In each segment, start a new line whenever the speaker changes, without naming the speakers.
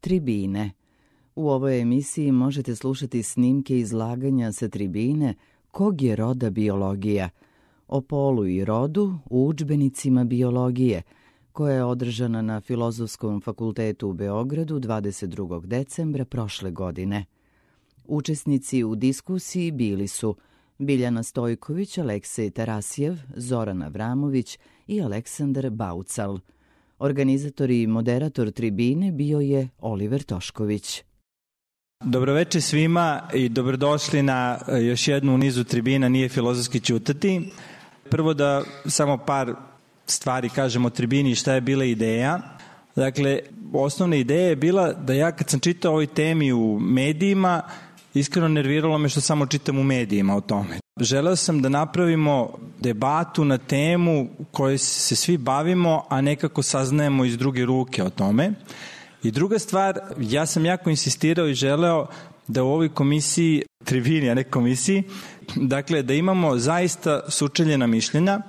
Tribine. U ovoj emisiji možete slušati snimke izlaganja sa tribine Kog je roda biologija, o polu i rodu u udžbenicima biologije, koja je održana na Filozofskom fakultetu u Beogradu 22. decembra prošle godine. Učesnici u diskusiji bili su Biljana Stojković, Aleksej Tarasjev, Zoran Avramović i Aleksandar Baucal. Organizator i moderator tribine bio je Oliver Tošković.
Dobroveče svima i dobrodošli na još jednu u nizu tribina Nije filozofski ćutati. Prvo da samo par stvari kažem o tribini i šta je bila ideja. Dakle, osnovna ideja je bila da ja kad sam čitao ovoj temi u medijima, iskreno nerviralo me što samo čitam u medijima o tome. Želeo sam da napravimo debatu na temu kojoj se svi bavimo, a nekako saznajemo iz druge ruke o tome. I druga stvar, ja sam jako insistirao i želeo da u ovoj komisiji, tribini, a ne komisiji, dakle da imamo zaista sučeljena mišljenja.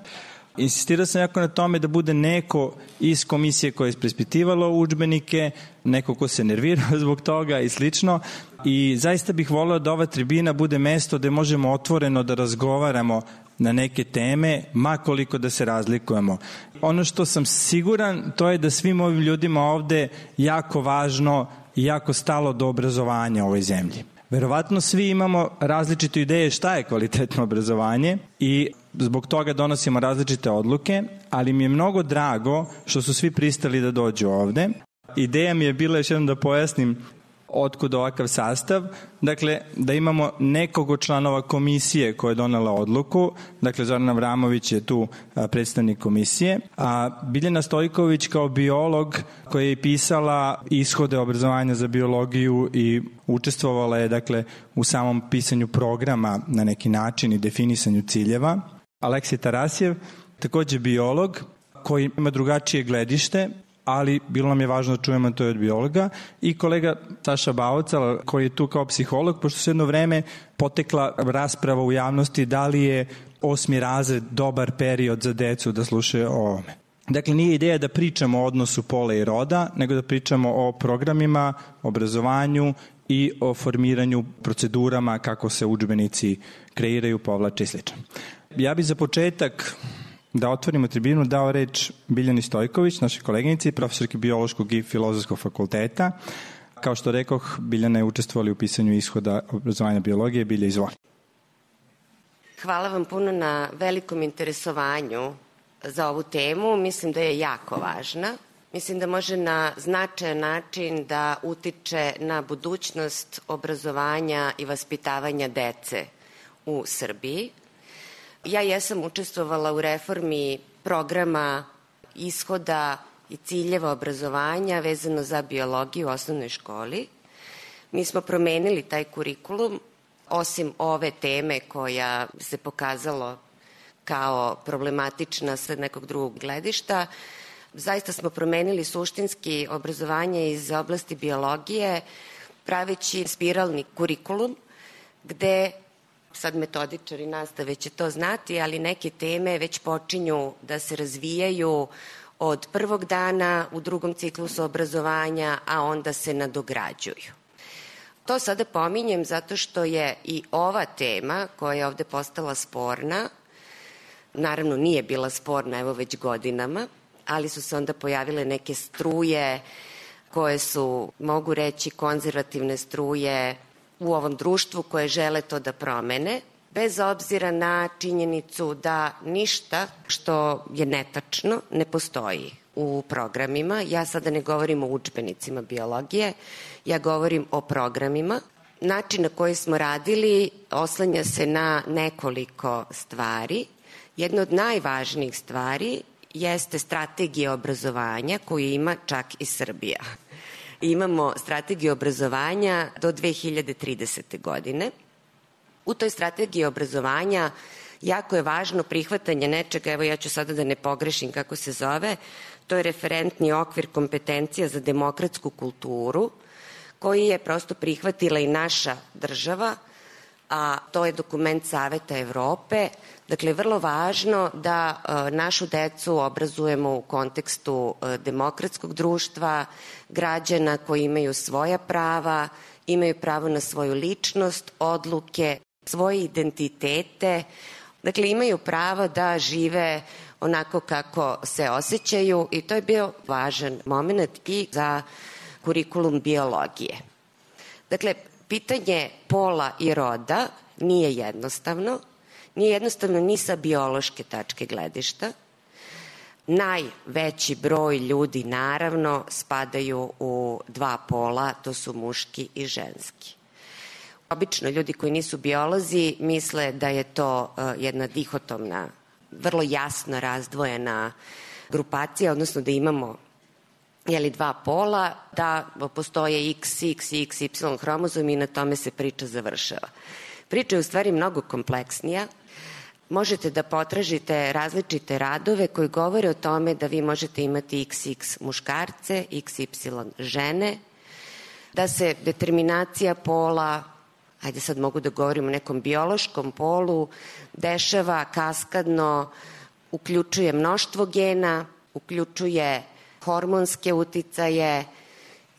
Insistirao sam jako na tome da bude neko iz komisije koja je preispitivalo udžbenike, neko ko se nervirao zbog toga i slično. I zaista bih voleo da ova tribina bude mesto gde možemo otvoreno da razgovaramo na neke teme, ma koliko da se razlikujemo. Ono što sam siguran, to je da svim ovim ljudima ovde jako važno i jako stalo do obrazovanja u ovoj zemlji. Verovatno svi imamo različite ideje šta je kvalitetno obrazovanje i zbog toga donosimo različite odluke, ali mi je mnogo drago što su svi pristali da dođu ovde. Ideja mi je bila, još jednom da pojasnim otkud ovakav sastav, dakle da imamo nekog od članova komisije koja je donela odluku, dakle Zoran Avramović je tu predstavnik komisije, a Biljana Stojković kao biolog koja je pisala ishode obrazovanja za biologiju i učestvovala je dakle u samom pisanju programa na neki način i definisanju ciljeva. Aleksej Tarasjev, takođe biolog koji ima drugačije gledište, ali bilo nam je važno da čujemo to od biologa, i kolega Saša Baucal koji je tu kao psiholog, pošto se jedno vreme potekla rasprava u javnosti da li je 8. razred dobar period za decu da slušaju o ovome. Dakle, nije ideja da pričamo o odnosu pola i roda, nego da pričamo o programima, obrazovanju i o formiranju procedurama kako se udžbenici kreiraju, povlače i sl. Ja bih za početak da otvorimo tribinu dao reč Biljani Stojković, našoj koleginici, profesorki biološkog i filozofskog fakulteta. Kao što rekoh, Biljana je učestvovala u pisanju ishoda obrazovanja biologije. Bilja, izvoli.
Hvala vam puno na velikom interesovanju za ovu temu. Mislim da je jako važna. Mislim da može na značajan način da utiče na budućnost obrazovanja i vaspitavanja dece u Srbiji. Ja jesam učestvovala u reformi programa ishoda i ciljeva obrazovanja vezano za biologiju u osnovnoj školi. Mi smo promenili taj kurikulum, osim ove teme koja se pokazalo kao problematična sa nekog drugog gledišta. Zaista smo promenili suštinski obrazovanje iz oblasti biologije, praveći spiralni kurikulum, gde sad metodičari nastave će to znati, ali neke teme već počinju da se razvijaju od prvog dana u drugom ciklusu obrazovanja, a onda se nadograđuju. To sada pominjem zato što je i ova tema koja je ovde postala sporna, naravno nije bila sporna evo već godinama, ali su se onda pojavile neke struje koje su, mogu reći, konzervativne struje u ovom društvu koje žele to da promene, bez obzira na činjenicu da ništa što je netačno ne postoji u programima. Ja sada ne govorim o udžbenicima biologije, ja govorim o programima. Način na koji smo radili oslanja se na nekoliko stvari. Jedna od najvažnijih stvari jeste strategija obrazovanja koju ima čak i Srbija. Imamo strategiju obrazovanja do 2030. godine. U toj strategiji obrazovanja jako je važno prihvatanje nečega, evo ja ću sada da ne pogrešim kako se zove, to je referentni okvir kompetencija za demokratsku kulturu, koji je prosto prihvatila i naša država a to je dokument Saveta Evrope. Dakle, vrlo važno da našu decu obrazujemo u kontekstu demokratskog društva, građana koji imaju svoja prava, imaju pravo na svoju ličnost, odluke, svoje identitete. Dakle, imaju pravo da žive onako kako se osjećaju i to je bio važan moment i za kurikulum biologije. Dakle, pitanje pola i roda nije jednostavno. Nije jednostavno ni sa biološke tačke gledišta. Najveći broj ljudi, naravno, spadaju u dva pola, to su muški i ženski. Obično ljudi koji nisu biolozi misle da je to jedna dihotomna, vrlo jasno razdvojena grupacija, odnosno da imamo dva pola, da postoje X, X, X, Y hromozom i na tome se priča završava. Priča je u stvari mnogo kompleksnija. Možete da potražite različite radove koji govore o tome da vi možete imati XX muškarce, XY žene, da se determinacija pola, ajde sad mogu da govorim o nekom biološkom polu, dešava kaskadno, uključuje mnoštvo gena, uključuje hormonske uticaje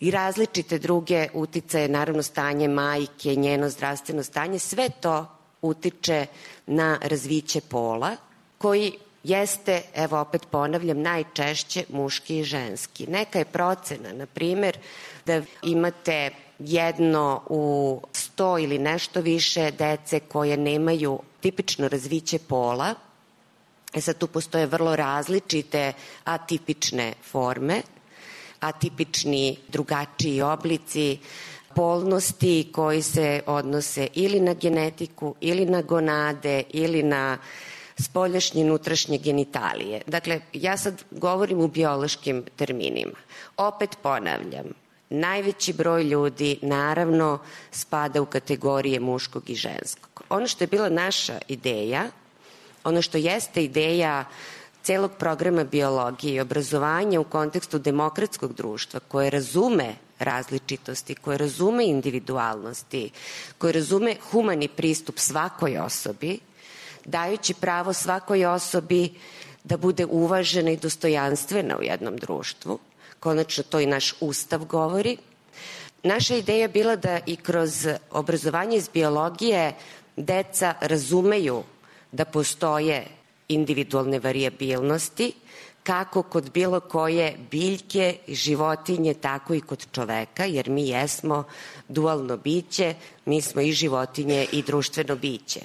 i različite druge uticaje, naravno stanje majke, njeno zdravstveno stanje, sve to utiče na razviće pola, koji jeste, evo opet ponavljam, najčešće muški i ženski. Neka je procena, na primer, da imate jedno u 100 ili nešto više dece koje nemaju tipično razviće pola. Sad tu postoje vrlo različite atipične forme, atipični drugačiji oblici polnosti koji se odnose ili na genetiku, ili na gonade, ili na spoljašnje i unutrašnje genitalije. Dakle, ja sad govorim u biološkim terminima. Opet ponavljam, najveći broj ljudi naravno spada u kategorije muškog i ženskog. Ono što je bila naša ideja, ono što jeste ideja celog programa biologije i obrazovanja u kontekstu demokratskog društva koje razume različitosti, koje razume individualnosti, koje razume humani pristup svakoj osobi, dajući pravo svakoj osobi da bude uvažena i dostojanstvena u jednom društvu. Konačno to i naš Ustav govori. Naša ideja je bila da i kroz obrazovanje iz biologije deca razumeju da postoje individualne varijabilnosti, kako kod bilo koje biljke, životinje, tako i kod čoveka, jer mi jesmo dualno biće, mi smo i životinje i društveno biće.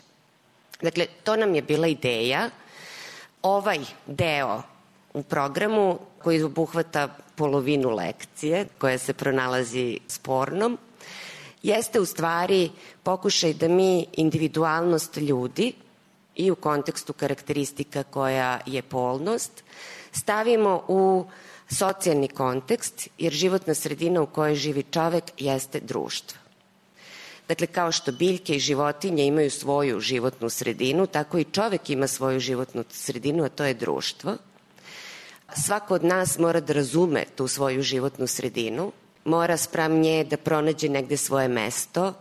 Dakle, to nam je bila ideja. Ovaj deo u programu koji obuhvata polovinu lekcije, koja se pronalazi spornom, jeste u stvari pokušaj da mi individualnost ljudi i u kontekstu karakteristika koja je polnost, stavimo u socijalni kontekst, jer životna sredina u kojoj živi čovek jeste društvo. Dakle, kao što biljke i životinje imaju svoju životnu sredinu, tako i čovek ima svoju životnu sredinu, a to je društvo. Svako od nas mora da razume tu svoju životnu sredinu, mora spram nje da pronađe negde svoje mesto,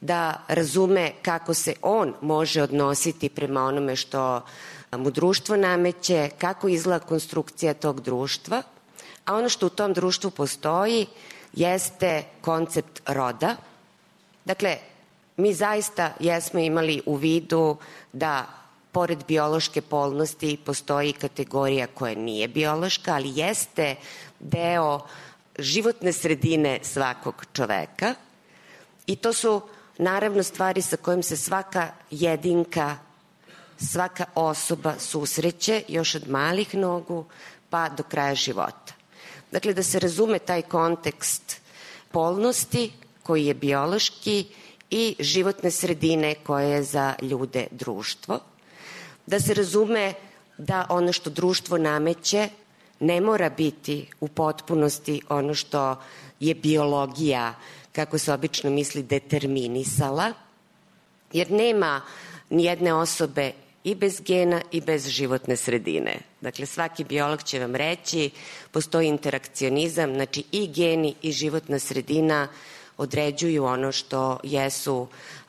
da razume kako se on može odnositi prema onome što mu društvo nameće, kako izgleda konstrukcija tog društva, a ono što u tom društvu postoji jeste koncept roda. Dakle, mi zaista jesmo imali u vidu da pored biološke polnosti postoji kategorija koja nije biološka, ali jeste deo životne sredine svakog čoveka i to su naravno stvari sa kojim se svaka jedinka, svaka osoba susreće još od malih nogu pa do kraja života. Dakle, da se razume taj kontekst polnosti koji je biološki i životne sredine koje je za ljude društvo. Da se razume da ono što društvo nameće ne mora biti u potpunosti ono što je biologija, kako se obično misli, determinisala, jer nema nijedne osobe i bez gena i bez životne sredine. Dakle, svaki biolog će vam reći, postoji interakcionizam, znači i geni i životna sredina određuju ono što jesu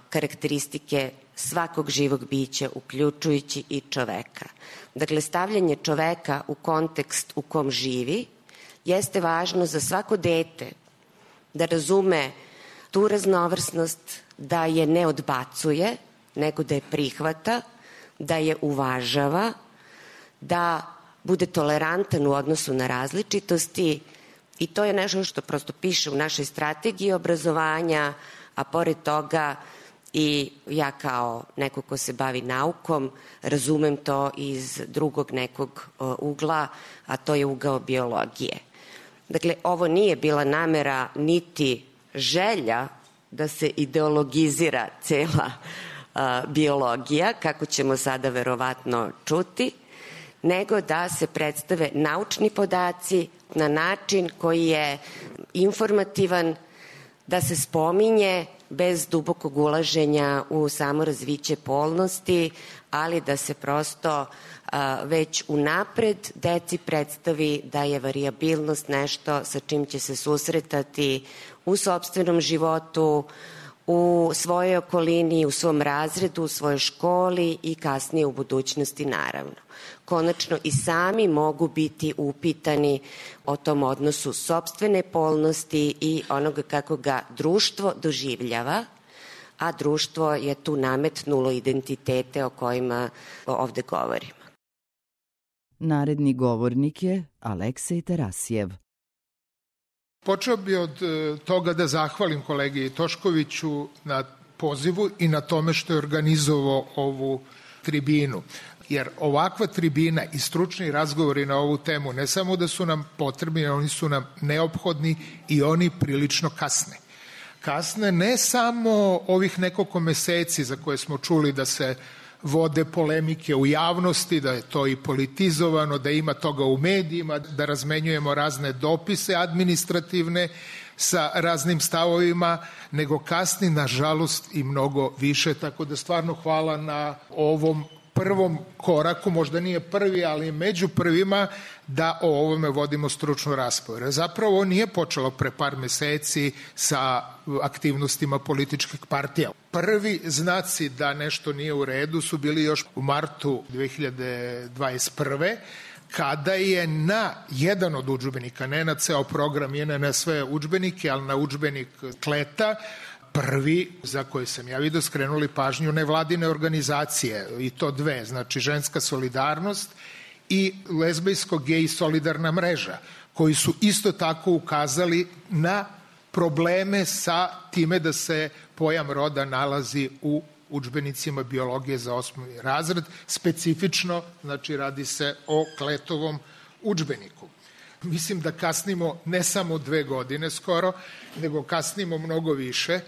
karakteristike svakog živog bića, uključujući i čoveka. Dakle, stavljanje čoveka u kontekst u kom živi jeste važno za svako dete da razume tu raznovrsnost, da je ne odbacuje, nego da je prihvata, da je uvažava, da bude tolerantan u odnosu na različitosti, i to je nešto što prosto piše u našoj strategiji obrazovanja, a pored toga i ja kao neko ko se bavi naukom razumem to iz drugog nekog ugla, a to je ugao biologije. Dakle, ovo nije bila namera niti želja da se ideologizira cela biologija, kako ćemo sada verovatno čuti, nego da se predstave naučni podaci na način koji je informativan, da se spominje bez dubokog ulaženja u samo razviće polnosti, ali da se prosto već unapred deci predstavi da je varijabilnost nešto sa čim će se susretati u sopstvenom životu, u svojoj okolini, u svom razredu, u svojoj školi i kasnije u budućnosti naravno. Konačno i sami mogu biti upitani o tom odnosu sopstvene polnosti i onoga kako ga društvo doživljava, a društvo je tu nametnulo identitete o kojima ovde govorimo.
Naredni govornik je Aleksej Tarasijev.
Počeo bi od toga da zahvalim kolegi Toškoviću na pozivu i na tome što je organizovao ovu tribinu. Jer ovakva tribina i stručni razgovori na ovu temu ne samo da su nam potrebni, oni su nam neophodni i oni prilično kasne. Kasne ne samo ovih nekoliko meseci za koje smo čuli da se vode polemike u javnosti, da je to i politizovano, da ima toga u medijima, da razmenjujemo razne dopise administrativne sa raznim stavovima, nego kasni, nažalost, i mnogo više. Tako da stvarno hvala na ovom prvom koraku, možda nije prvi, ali među prvima, da o ovome vodimo stručnu raspravu. Zapravo nije počelo pre par meseci sa aktivnostima političkih partija. Prvi znaci da nešto nije u redu su bili još u martu 2021. kada je na jedan od udžbenika, ne na ceo program, ne na sve udžbenike, ali na udžbenik Kleta, prvi, za koji sam ja vidio, skrenuli pažnju nevladine organizacije, i to dve, znači Ženska solidarnost i Lezbejsko-gej solidarna mreža, koji su isto tako ukazali na probleme sa time da se pojam roda nalazi u udžbenicima biologije za 8. razred, specifično, znači radi se o Kletovom udžbeniku. Mislim da kasnimo ne samo 2 godine skoro, nego kasnimo mnogo više,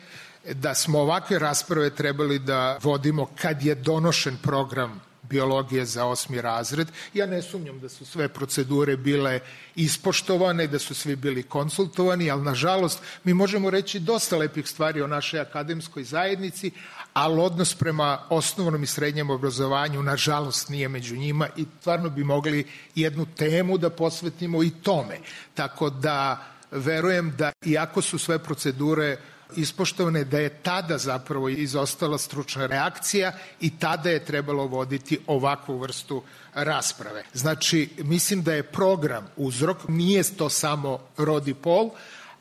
da smo ovakve rasprave trebali da vodimo kad je donošen program biologije za 8. razred. Ja ne sumnjam da su sve procedure bile ispoštovane, da su svi bili konsultovani, ali nažalost mi možemo reći dosta lepih stvari o našoj akademskoj zajednici, ali odnos prema osnovnom i srednjem obrazovanju nažalost nije među njima i stvarno bi mogli jednu temu da posvetimo i tome. Tako da verujem da iako su sve procedure ispoštovane, da je tada zapravo izostala stručna reakcija i tada je trebalo voditi ovakvu vrstu rasprave. Znači, mislim da je program uzrok, nije to samo rod i pol,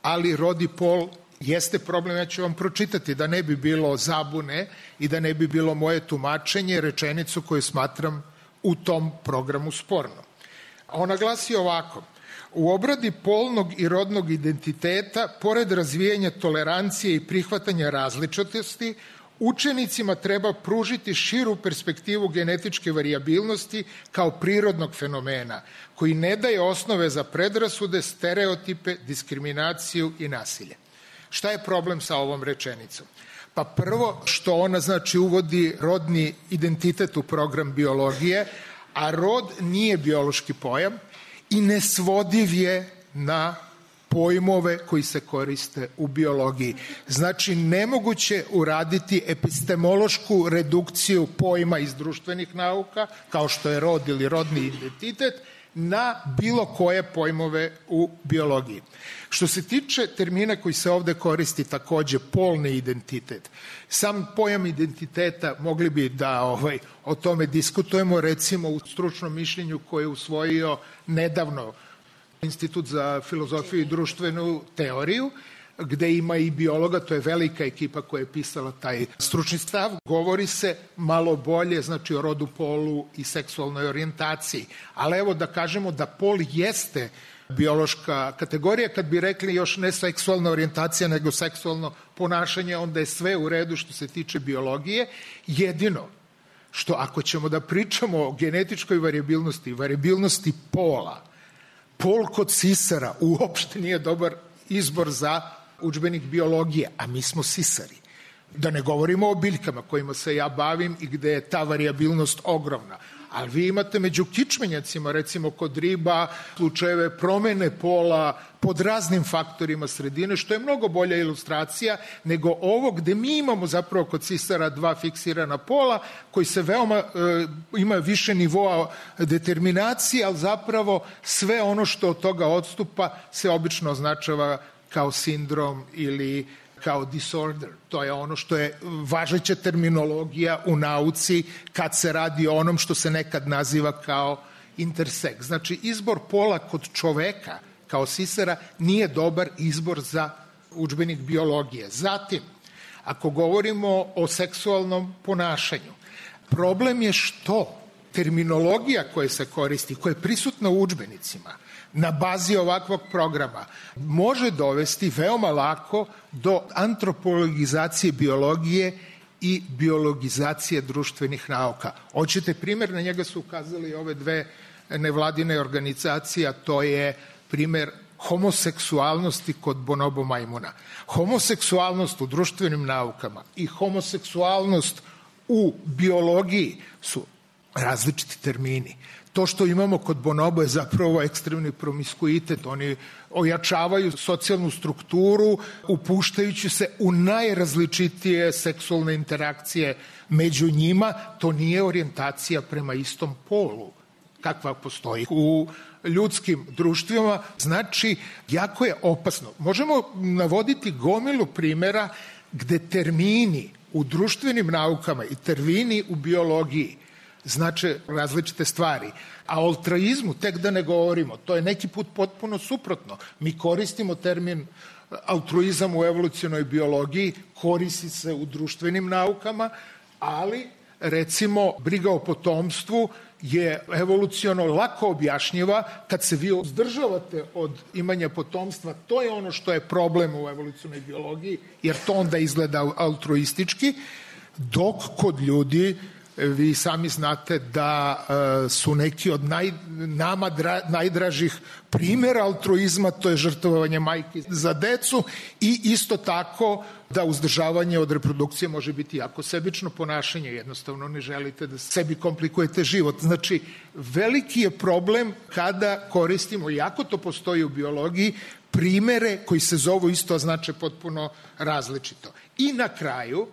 ali rod i pol jeste problem, ja ću vam pročitati da ne bi bilo zabune i da ne bi bilo moje tumačenje, rečenicu koju smatram u tom programu sporno. Ona glasi ovako: u obradi polnog i rodnog identiteta, pored razvijanja tolerancije i prihvatanja različitosti, učenicima treba pružiti širu perspektivu genetičke varijabilnosti kao prirodnog fenomena, koji ne daje osnove za predrasude, stereotipe, diskriminaciju i nasilje. Šta je problem sa ovom rečenicom? Pa prvo što ona znači uvodi rodni identitet u program biologije, a rod nije biološki pojam i nesvodiv je na pojmove koji se koriste u biologiji. Znači, nemoguće uraditi epistemološku redukciju pojma iz društvenih nauka, kao što je rod ili rodni identitet, na bilo koje pojmove u biologiji. Što se tiče termina koji se ovde koristi takođe, polni identitet, sam pojam identiteta mogli bi da o tome diskutujemo, recimo u stručnom mišljenju koje je usvojio nedavno Institut za filozofiju i društvenu teoriju, gde ima i biologa, to je velika ekipa koja je pisala taj stručni stav, govori se malo bolje, znači o rodu, polu i seksualnoj orijentaciji. Ali evo da kažemo da pol jeste biološka kategorija, kad bi rekli još ne seksualna orijentacija, nego seksualno ponašanje, onda je sve u redu što se tiče biologije. Jedino što ako ćemo da pričamo o genetičkoj variabilnosti pola, pol kod sisara uopšte nije dobar izbor za udžbenik biologije, a mi smo sisari. Da ne govorimo o biljkama kojima se ja bavim i gde je ta variabilnost ogromna. Ali vi imate među kičmenjacima, recimo kod riba, slučajeve promene pola pod raznim faktorima sredine, što je mnogo bolja ilustracija nego ovo gde mi imamo zapravo kod sisara dva fiksirana pola koji se veoma, ima više nivoa determinacije, ali zapravo sve ono što od toga odstupa se obično označava kao sindrom ili kao disorder. To je ono što je važeća terminologija u nauci kad se radi o onom što se nekad naziva kao interseks. Znači, izbor pola kod čoveka kao sisara nije dobar izbor za udžbenik biologije. Zatim, ako govorimo o seksualnom ponašanju, problem je što terminologija koja se koristi, koja je prisutna u udžbenicima, na bazi ovakvog programa, može dovesti veoma lako do antropologizacije biologije i biologizacije društvenih nauka. Hoćete primjer, na njega su ukazali ove dve nevladine organizacije, a to je primjer homoseksualnosti kod bonobo majmuna. Homoseksualnost u društvenim naukama i homoseksualnost u biologiji su različiti termini. To što imamo kod bonobo je zapravo ekstremni promiskuitet. Oni ojačavaju socijalnu strukturu upuštajući se u najrazličitije seksualne interakcije među njima. To nije orijentacija prema istom polu kakva postoji u ljudskim društvima. Znači, jako je opasno. Možemo navoditi gomilu primjera gde termini u društvenim naukama i termini u biologiji znače različite stvari. A o altruizmu tek da ne govorimo. To je neki put potpuno suprotno. Mi koristimo termin altruizam u evolucionoj biologiji, koristi se u društvenim naukama, ali recimo briga o potomstvu je evoluciono lako objašnjiva kad se vi uzdržavate od imanja potomstva. To je ono što je problem u evolucionoj biologiji, jer to onda izgleda altruistički, dok kod ljudi vi sami znate da su neki od nama najdražih primjera altruizma, to je žrtvovanje majke za decu i isto tako da uzdržavanje od reprodukcije može biti jako sebično ponašanje, jednostavno ne želite da sebi komplikujete život. Znači, veliki je problem kada koristimo, iako to postoji u biologiji, primere koji se zovu isto, a znače potpuno različito. I na kraju,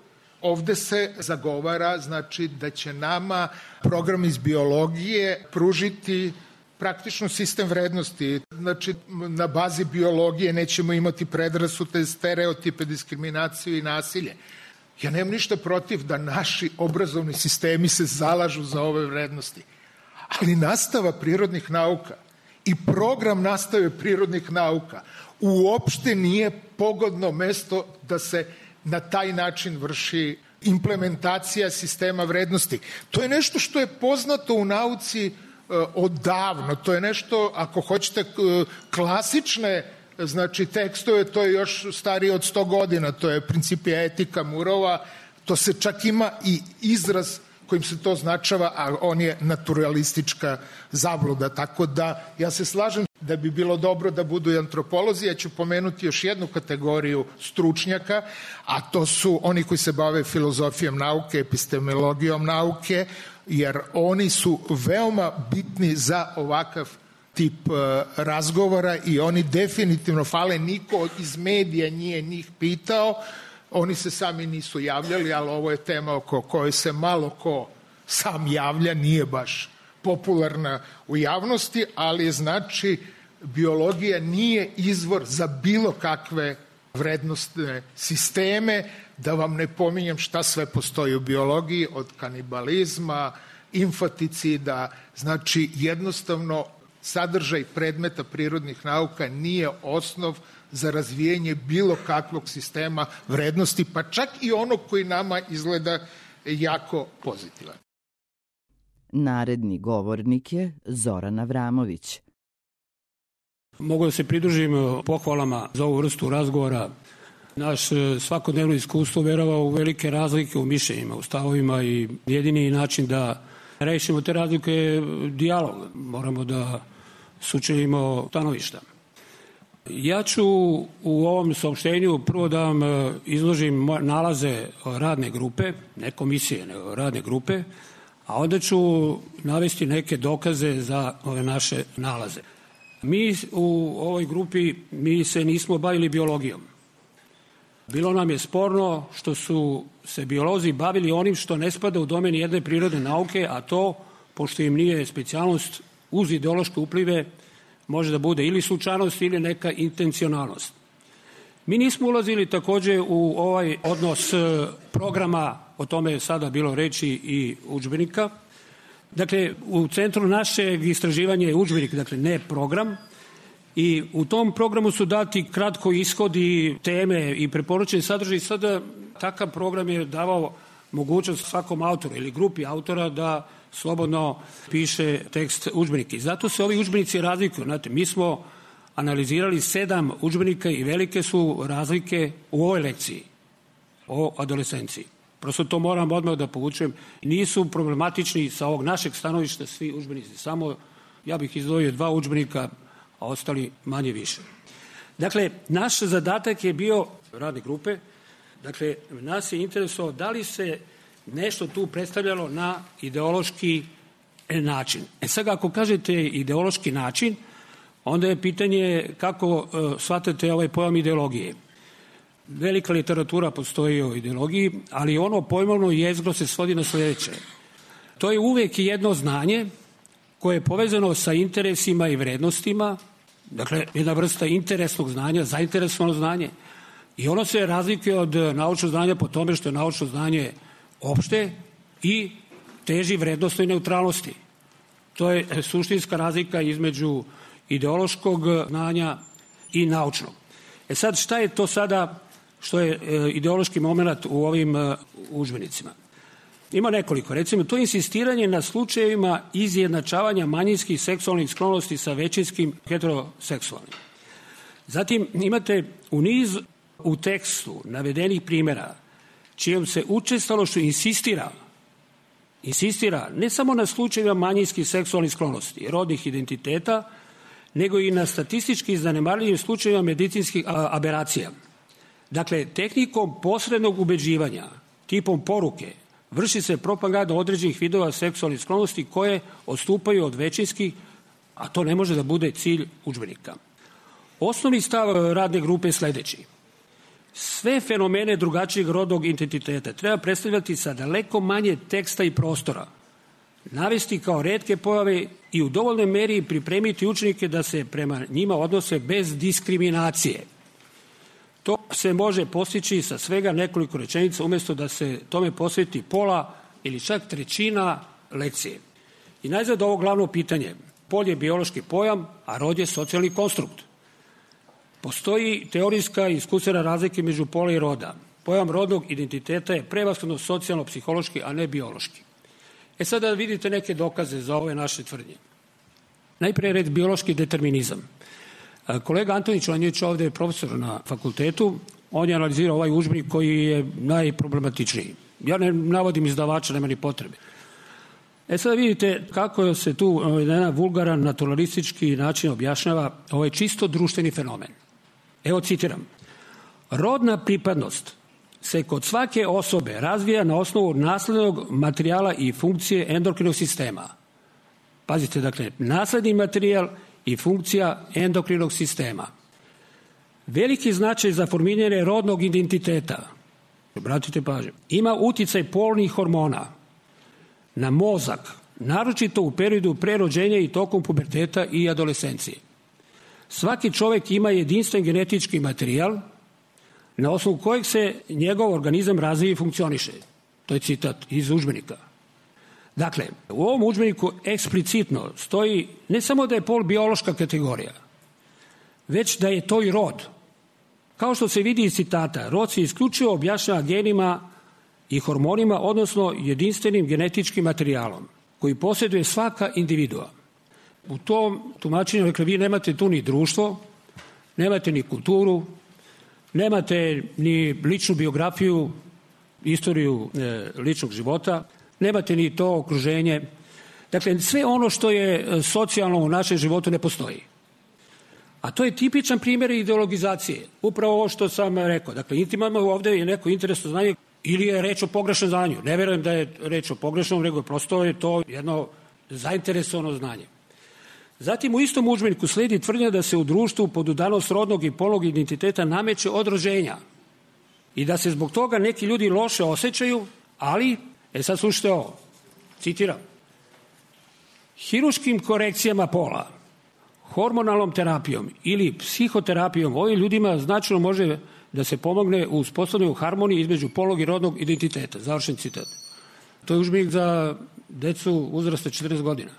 ovde se zagovara, znači, da će nama program iz biologije pružiti praktično sistem vrednosti. Znači, na bazi biologije nećemo imati predrasude, stereotipe, diskriminaciju i nasilje. Ja nemam ništa protiv da naši obrazovni sistemi se zalažu za ove vrednosti. Ali nastava prirodnih nauka i program nastave prirodnih nauka uopšte nije pogodno mesto da se na taj način vrši implementacija sistema vrednosti. To je nešto što je poznato u nauci odavno. To je nešto, ako hoćete, klasične, znači, tekstove, to je još starije od 100 godina. To je Principia etika Murova. To se čak ima i izraz kojim se to označava, a on je naturalistička zabluda. Tako da ja se slažem da bi bilo dobro da budu i antropolozi. Ja ću pomenuti još jednu kategoriju stručnjaka, a to su oni koji se bave filozofijom nauke, epistemologijom nauke, jer oni su veoma bitni za ovakav tip razgovora i oni definitivno fale. Niko iz medija nije njih pitao, oni se sami nisu javljali, ali ovo je tema oko koje se malo ko sam javlja, nije baš popularna u javnosti, ali znači biologija nije izvor za bilo kakve vrednostne sisteme, da vam ne pominjem šta sve postoji u biologiji, od kanibalizma, infanticida, znači jednostavno sadržaj predmeta prirodnih nauka nije osnov za razvijanje bilo kakvog sistema vrednosti, pa čak i onog koji nama izgleda jako pozitivan.
Naredni govornik je Zoran Avramović.
Mogu da se pridružim pohvalama za ovu vrstu razgovora. Naš svakodnevno iskustvo verava u velike razlike u mišljenjima, u stavovima i jedini način da rešimo te razlike je dijalog. Moramo da sučelimo stanovišta. Ja ću u ovom saopštenju prvo da vam izložim nalaze radne grupe, ne komisije, nego radne grupe, a onda ću navesti neke dokaze za ove naše nalaze. Mi u ovoj grupi se nismo bavili biologijom. Bilo nam je sporno što su se biolozi bavili onim što ne spada u domen jedne prirodne nauke, a to, pošto im nije specijalnost, uz ideološke uplive može da bude ili slučajnost ili neka intencionalnost. Mi nismo ulazili takođe u ovaj odnos programa, o tome je sada bilo reči, i udžbenika. Dakle, u centru našeg istraživanja je udžbenik, dakle ne program, i u tom programu su dati kratko ishodi, teme i preporučeni sadržaj. Sada takav program je davao mogućnost svakom autoru ili grupi autora da slobodno piše tekst udžbenika. I zato se ovi udžbenici razlikuju. Znate, mi smo analizirali 7 udžbenika i velike su razlike u ovoj lekciji o adolescenciji. Prosto to moram odmah da povučem. Nisu problematični sa ovog našeg stanovišta svi udžbenici. Samo ja bih izdvojio 2 udžbenika, a ostali manje više. Dakle, naš zadatak je bio radne grupe, dakle, nas je interesovao da li se nešto tu predstavljalo na ideološki način. Sad, ako kažete ideološki način, onda je pitanje kako shvatate ovaj pojam ideologije. Velika literatura postoji o ideologiji, ali ono pojmovno jezgro se svodi na sledeće. To je uvek jedno znanje koje je povezano sa interesima i vrednostima, dakle, jedna vrsta interesnog znanja, zainteresovano znanje, i ono se razlikuje od naučnog znanja po tome što je naučno znanje opšte i teži vrednostnoj neutralnosti. To je suštinska razlika između ideološkog znanja i naučnog. Sad, šta je to sada što je ideološki moment u ovim udžbenicima? Ima nekoliko. Recimo, to je insistiranje na slučajevima izjednačavanja manjinskih seksualnih sklonosti sa većinskim heteroseksualnim. Zatim imate u tekstu navedenih primjera čijom se učestalošću insistira ne samo na slučajevima manjinskih seksualnih sklonosti, rodnih identiteta, nego i na statistički zanemarljivim slučajevima medicinskih aberacija. Dakle, tehnikom posrednog ubeđivanja, tipom poruke, vrši se propaganda određenih vidova seksualnih sklonosti koje odstupaju od većinskih, a to ne može da bude cilj udžbenika. Osnovni stav radne grupe je sledeći. Sve fenomene drugačijeg rodnog identiteta treba predstavljati sa daleko manje teksta i prostora, navesti kao retke pojave i u dovoljnoj meri pripremiti učenike da se prema njima odnose bez diskriminacije. To se može postići sa svega nekoliko rečenica umjesto da se tome posveti pola ili čak trećina lekcije. I najzad ovo glavno pitanje. Pol je biološki pojam, a rod je socijalni konstrukt. Postoji teorijska i iskustvena razlika među pola i roda. Pojam rodnog identiteta je prevashodno socijalno-psihološki, a ne biološki. Sada vidite neke dokaze za ove naše tvrdnje. Najpre red biološki determinizam. Kolega Antonić, on je ovde profesor na fakultetu, on je analizirao ovaj udžbenik koji je najproblematičniji. Ja ne navodim izdavača, nema ni potrebe. Sada vidite kako se tu jedan vulgaran, naturalistički način objašnjava ovaj čisto društveni fenomen. Evo citiram. Rodna pripadnost se kod svake osobe razvija na osnovu naslednog materijala i funkcije endokrinog sistema. Pazite, dakle, nasledni materijal i funkcija endokrinog sistema. Veliki značaj za formiranje rodnog identiteta, obratite pažnju, ima uticaj polnih hormona na mozak, naročito u periodu pre rođenja i tokom puberteta i adolescencije. Svaki čovjek ima jedinstven genetički materijal na osnovu kojeg se njegov organizam razvija i funkcioniše. To je citat iz udžbenika. Dakle, u ovom udžbeniku eksplicitno stoji ne samo da je pol biološka kategorija, već da je to i rod. Kao što se vidi iz citata, rod se isključivo objašnjava genima i hormonima, odnosno jedinstvenim genetičkim materijalom koji posjeduje svaka individua. U tom tumačenju, dakle, vi nemate tu ni društvo, nemate ni kulturu, nemate ni ličnu biografiju, istoriju ličnog života, nemate ni to okruženje. Dakle, sve ono što je socijalno u našem životu ne postoji. A to je tipičan primjer ideologizacije. Upravo ovo što sam rekao. Dakle, imamo ovdje je neko interesno znanje ili je reč o pogrešnom znanju. Ne verujem da je reč o pogrešnom, nego prosto je to jedno zainteresovano znanje. Zatim u istom udžbeniku slijedi tvrdnja da se u društvu podudanost rodnog i polnog identiteta nameće od rođenja i da se zbog toga neki ljudi loše osjećaju, ali, sad slušajte ovo, citiram, hiruškim korekcijama pola, hormonalnom terapijom ili psihoterapijom ovim ljudima značajno može da se pomogne u uspostavljanju harmonije između polnog i rodnog identiteta. Završen citat. To je udžbenik za decu uzrasta 14 godina.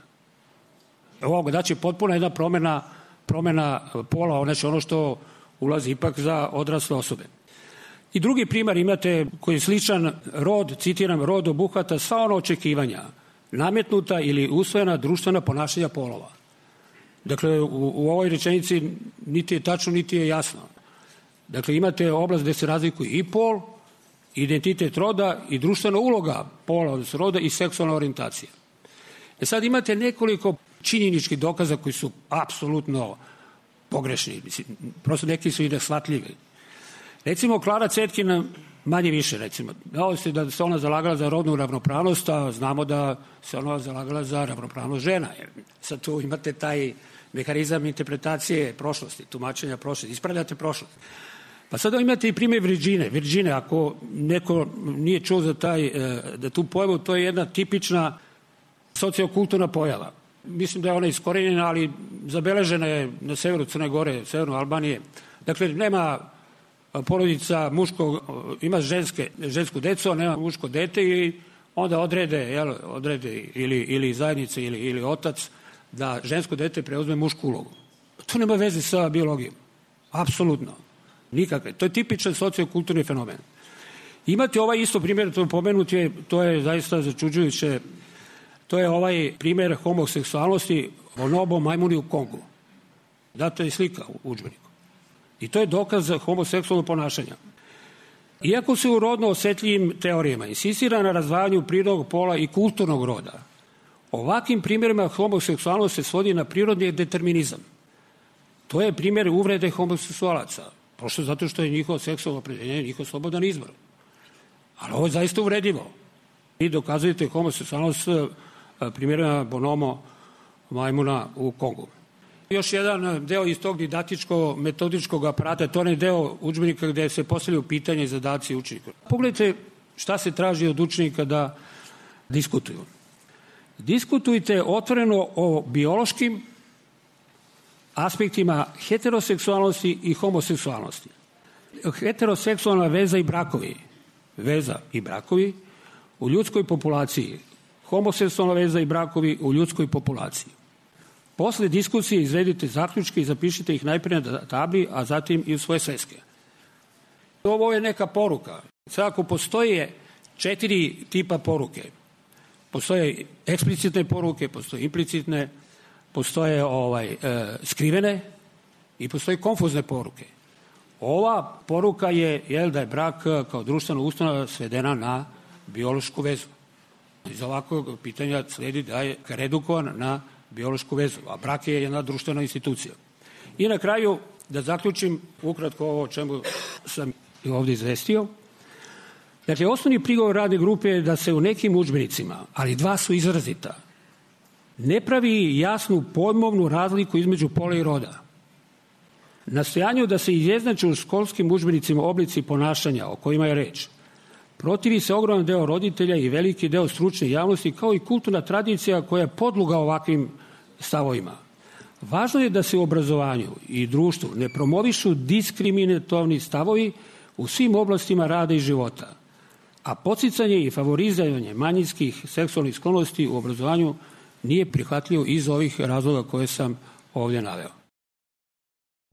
Ovo znači potpuno jedna promjena pola, znači ono što ulazi ipak za odrasle osobe. I drugi primjer imate koji je sličan rod, citiram, rod obuhvata sva ona očekivanja, nametnuta ili usvojena društvena ponašanja polova. Dakle, u ovoj rečenici niti je tačno, niti je jasno. Dakle, imate oblast gdje se razlikuju i pol, identitet roda i društvena uloga pola, odnosno roda i seksualna orijentacija. Sad imate nekoliko činjeničkih dokaza koji su apsolutno pogrešni. Prosto neki su i neshvatljivi. Recimo, Klara Cetkin, manje više, recimo, da se ona zalagala za rodnu ravnopravnost, a znamo da se ona zalagala za ravnopravnost žena. Jer sad tu imate taj mehanizam interpretacije prošlosti, tumačenja prošlosti, ispravljate prošlost. Pa sada imate i primjer Virgine, ako neko nije čuo za tu pojavu, to je jedna tipična sociokulturna pojava. Mislim da je ona iskorenjena, ali zabeležena je na severu Crne Gore, severno Albanije. Dakle, nema porodica ima žensku decu, a nema muško dete i onda odrede ili zajednica ili otac da žensko dete preuzme mušku ulogu. To nema veze sa biologijom. Apsolutno. Nikakve. To je tipičan sociokulturni fenomen. Imate ovaj isto primjer, to je zaista začuđujuće. To je ovaj primjer homoseksualnosti bonobo majmuni u Kongu. Data je slika u udžbeniku. I to je dokaz za homoseksualno ponašanja. Iako se u rodno osjetljivim teorijama insistira na razdvajanju prirodnog pola i kulturnog roda, ovakvim primjerima homoseksualnost se svodi na prirodni determinizam. To je primjer uvrede homoseksualaca. Prosto zato što je njihovo seksualno opredjeljenje, njihov slobodan izbor. Ali ovo je zaista uvredljivo. Vi dokazujete homoseksualnost primjerima bonomo majmuna u Kongu. Još jedan deo iz tog didaktičko-metodičkog aparata, to je deo udžbenika gdje se postavljaju pitanja i zadaci učenika. Pogledajte šta se traži od učenika da diskutuju. Diskutujte otvoreno o biološkim aspektima heteroseksualnosti i homoseksualnosti. Heteroseksualna veza i brakovi u ljudskoj populaciji, homoseksualna veza i brakovi u ljudskoj populaciji. Posle diskusije izvedite zaključke i zapišite ih najprije na tabli, a zatim i u svoje sveske. Ovo je neka poruka. Sad ako postoje 4 tipa poruke, postoje eksplicitne poruke, postoje implicitne, postoje skrivene i postoje konfuzne poruke. Ova poruka je da je brak kao društvena ustanova svedena na biološku vezu. Iz ovakvog pitanja slijedi da je redukovan na biološku vezu, a brak je jedna društvena institucija. I na kraju, da zaključim ukratko ovo o čemu sam ovdje izvestio. Dakle, osnovni prigovor radne grupe je da se u nekim udžbenicima, ali 2 su izrazita, ne pravi jasnu pojmovnu razliku između pola i roda. Nastojanju da se izjednače u školskim udžbenicima oblici ponašanja o kojima je reč, protivi se ogroman deo roditelja i veliki deo stručne javnosti, kao i kulturna tradicija koja je podloga ovakvim stavovima. Važno je da se u obrazovanju i društvu ne promovišu diskriminatorni stavovi u svim oblastima rada i života, a podsticanje i favorizovanje manjinskih seksualnih sklonosti u obrazovanju nije prihvatljivo iz ovih razloga koje sam ovdje naveo.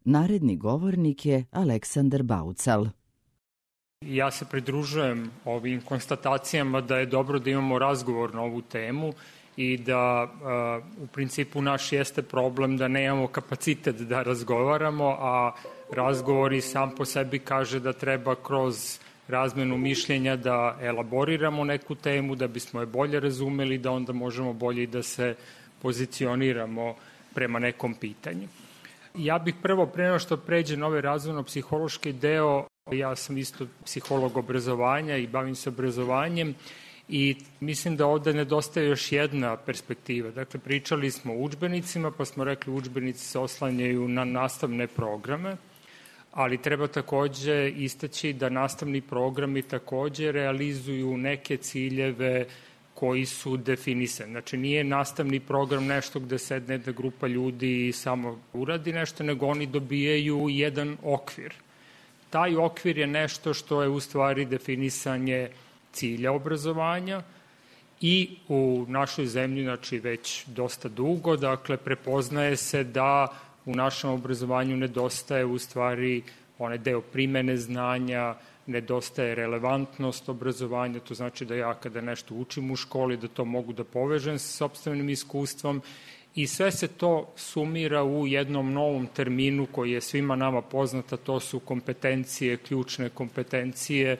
Naredni govornik je Aleksandar Baucal.
Ja se pridružujem ovim konstatacijama da je dobro da imamo razgovor na ovu temu i da u principu naš jeste problem da nemamo kapacitet da razgovaramo, a razgovori sam po sebi kaže da treba kroz razmenu mišljenja da elaboriramo neku temu, da bismo je bolje razumeli, da onda možemo bolje da se pozicioniramo prema nekom pitanju. Ja bih prvo, pre nego što pređe na ovaj razvojno-psihološki deo, ja sam isto psiholog obrazovanja i bavim se obrazovanjem i mislim da ovde nedostaje još jedna perspektiva. Dakle, pričali smo o udžbenicima, pa smo rekli udžbenici se oslanjaju na nastavne programe, ali treba takođe istaći da nastavni programi takođe realizuju neke ciljeve koji su definisani. Znači, nije nastavni program nešto gde sedne da grupa ljudi i samo uradi nešto, nego oni dobijaju jedan okvir. Taj okvir je nešto što je u stvari definisanje cilja obrazovanja i u našoj zemlji, znači već dosta dugo, dakle, prepoznaje se da u našem obrazovanju nedostaje u stvari onaj deo primene znanja, nedostaje relevantnost obrazovanja, to znači da ja kada nešto učim u školi, da to mogu da povežem sa sopstvenim iskustvom i sve se to sumira u jednom novom terminu koji je svima nama poznata, to su kompetencije, ključne kompetencije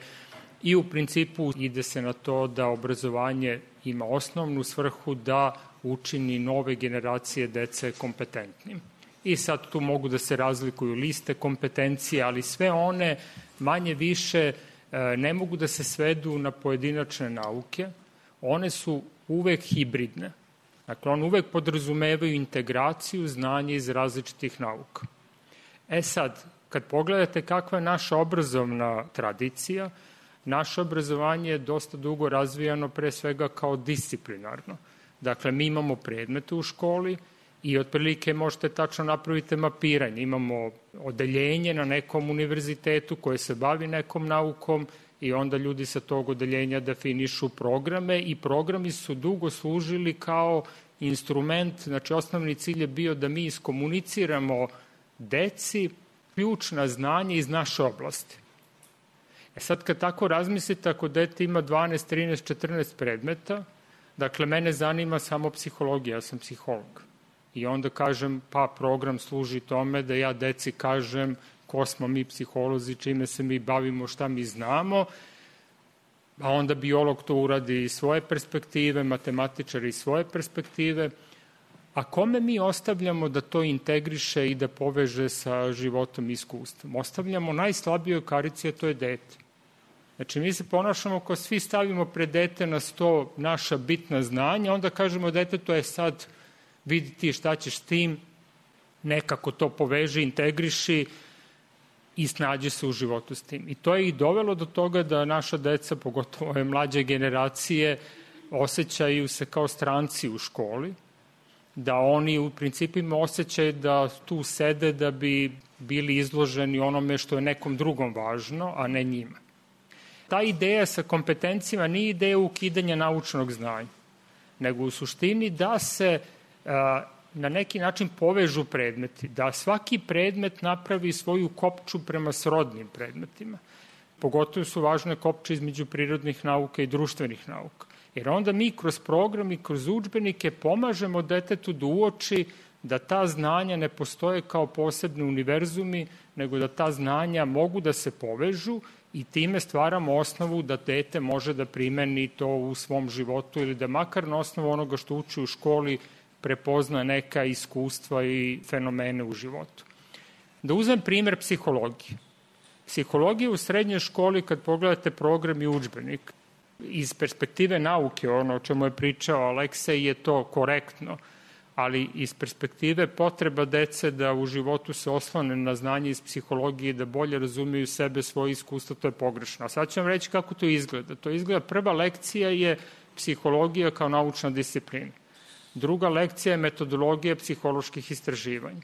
i u principu ide se na to da obrazovanje ima osnovnu svrhu da učini nove generacije dece kompetentnim. I sad tu mogu da se razlikuju liste kompetencije, ali sve one manje više ne mogu da se svedu na pojedinačne nauke, one su uvek hibridne. Dakle, one uvek podrazumevaju integraciju znanja iz različitih nauka. Sad, kad pogledate kakva je naša obrazovna tradicija, naše obrazovanje je dosta dugo razvijano pre svega kao disciplinarno. Dakle, mi imamo predmete u školi i otprilike možete tačno napraviti mapiranje. Imamo odeljenje na nekom univerzitetu koje se bavi nekom naukom i onda ljudi sa tog odeljenja definišu programe i programi su dugo služili kao instrument, znači osnovni cilj je bio da mi iskomuniciramo deci ključna znanja iz naše oblasti. Sad kad tako razmislite, ako dete ima 12, 13, 14 predmeta, dakle mene zanima samo psihologija, ja sam psiholog. I onda kažem, pa program služi tome da ja deci kažem ko smo mi psiholozi, čime se mi bavimo, šta mi znamo, a onda biolog to uradi iz svoje perspektive, matematičar iz svoje perspektive, a kome mi ostavljamo da to integriše i da poveže sa životom i iskustvom? Ostavljamo najslabijoj karici, a to je dete. Znači, mi se ponašamo kao svi stavimo pred dete na sto naša bitna znanja, onda kažemo detetu je sad vidi ti šta ćeš s tim, nekako to poveži, integriši i snađe se u životu s tim. I to je i dovelo do toga da naša deca, pogotovo ove mlađe generacije, osjećaju se kao stranci u školi, da oni u principima osjećaju da tu sede da bi bili izloženi onome što je nekom drugom važno, a ne njima. Ta ideja sa kompetencijama nije ideja ukidanja naučnog znanja, nego u suštini da se na neki način povežu predmeti, da svaki predmet napravi svoju kopču prema srodnim predmetima. Pogotovo su važne kopče između prirodnih nauka i društvenih nauka. Jer onda mi kroz program i kroz udžbenike pomažemo detetu da uoči da ta znanja ne postoje kao posebni univerzumi, nego da ta znanja mogu da se povežu i time stvaramo osnovu da dete može da primeni to u svom životu ili da makar na osnovu onoga što uči u školi prepozna neka iskustva i fenomene u životu. Da uzmem primer psihologije. Psihologija u srednjoj školi, kad pogledate program i udžbenik, iz perspektive nauke, ono o čemu je pričao Aleksej, je to korektno, ali iz perspektive potreba dece da u životu se oslone na znanje iz psihologije, da bolje razumiju sebe, svoje iskustva, to je pogrešno. A sad ću vam reći kako to izgleda. To izgleda, prva lekcija je psihologija kao naučna disciplina. Druga lekcija je metodologija psiholoških istraživanja.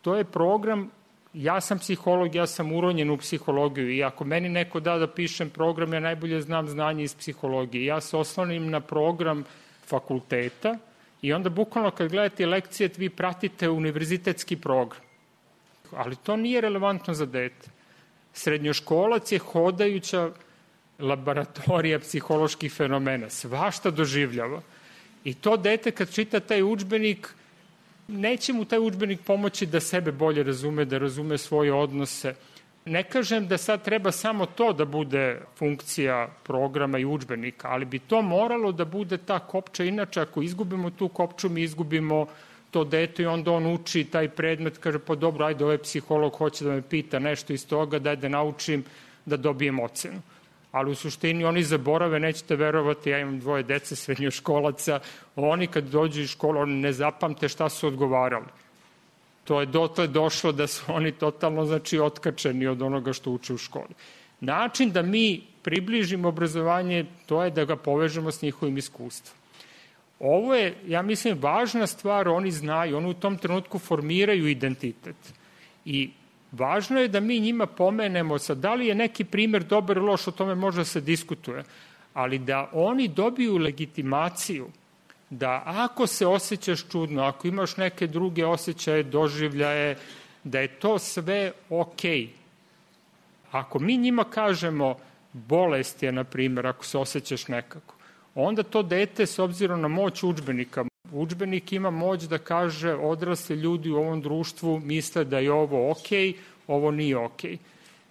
To je program, ja sam psiholog, ja sam uronjen u psihologiju i ako meni neko da pišem program, ja najbolje znam znanje iz psihologije. Ja se oslonim na program fakulteta i onda bukvalno kad gledate lekcije vi pratite univerzitetski program. Ali to nije relevantno za dete. Srednjoškolac je hodajuća laboratorija psiholoških fenomena. Svašta doživljava. I to dete kad čita taj udžbenik, neće mu taj udžbenik pomoći da sebe bolje razume, da razume svoje odnose. Ne kažem da sad treba samo to da bude funkcija programa i udžbenika, ali bi to moralo da bude ta kopča. Inače, ako izgubimo tu kopču, mi izgubimo to dete i onda on uči taj predmet, kaže pa dobro, ajde, ovaj psiholog hoće da me pita nešto iz toga, daj da naučim da dobijem ocenu. Ali u suštini oni zaborave, nećete verovati, ja imam 2 dece srednjoškolaca, oni kad dođu iz škole, oni ne zapamte šta su odgovarali. To je dotle došlo da su oni totalno, otkačeni od onoga što uče u školi. Način da mi približimo obrazovanje, to je da ga povežemo s njihovim iskustvom. Ovo je, ja mislim, važna stvar, oni znaju, oni u tom trenutku formiraju identitet. I važno je da mi njima pomenemo sad, da li je neki primer dobar ili loš, o tome može se diskutuje, ali da oni dobiju legitimaciju da ako se osjećaš čudno, ako imaš neke druge osjećaje, doživljaje, da je to sve okej. Ako mi njima kažemo bolest je, na primjer, ako se osjećaš nekako, onda to dete, s obzirom na moć udžbenika, udžbenik ima moć da kaže odrasli ljudi u ovom društvu misle da je ovo okej, ovo nije okej.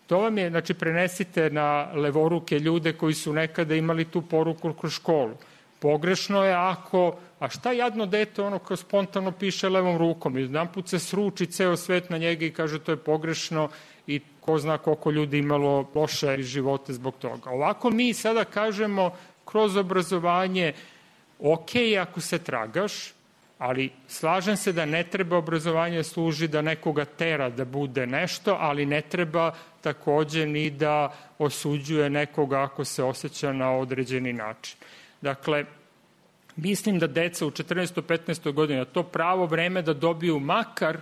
To vam je, prenesite na levoruke ljude koji su nekada imali tu poruku kroz školu. Pogrešno je ako, a šta jadno dete ono kao spontano piše levom rukom i jedan put se sruči ceo svet na njega i kaže to je pogrešno i ko zna koliko ljudi imalo loše živote zbog toga. Ovako mi sada kažemo kroz obrazovanje okej ako se tragaš, ali slažem se da ne treba obrazovanje služi da nekoga tera da bude nešto, ali ne treba takođe ni da osuđuje nekoga ako se osjeća na određeni način. Dakle, mislim da deca u 14-15 godina to pravo vreme da dobiju makar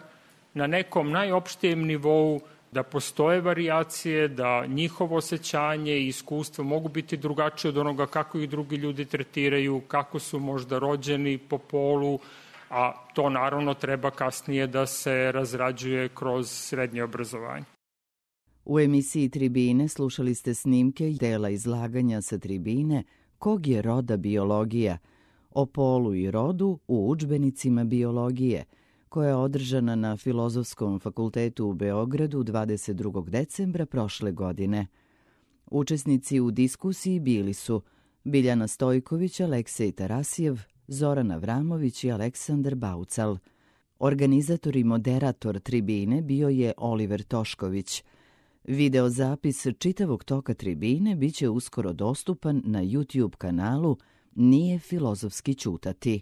na nekom najopštijem nivou, da postoje varijacije, da njihovo osjećanje i iskustvo mogu biti drugačije od onoga kako ih drugi ljudi tretiraju, kako su možda rođeni po polu, a to naravno treba kasnije da se razrađuje kroz srednje obrazovanje.
U emisiji Tribine slušali ste snimke dela izlaganja sa tribine Kog je roda biologija, o polu i rodu u udžbenicima biologije, koja je održana na Filozofskom fakultetu u Beogradu 22. decembra prošle godine. Učesnici u diskusiji bili su Biljana Stojković, Aleksej Tarasijev, Zoran Avramović i Aleksandar Baucal. Organizator i moderator tribine bio je Oliver Tošković. Videozapis čitavog toka tribine biće uskoro dostupan na YouTube kanalu Nije filozofski ćutati.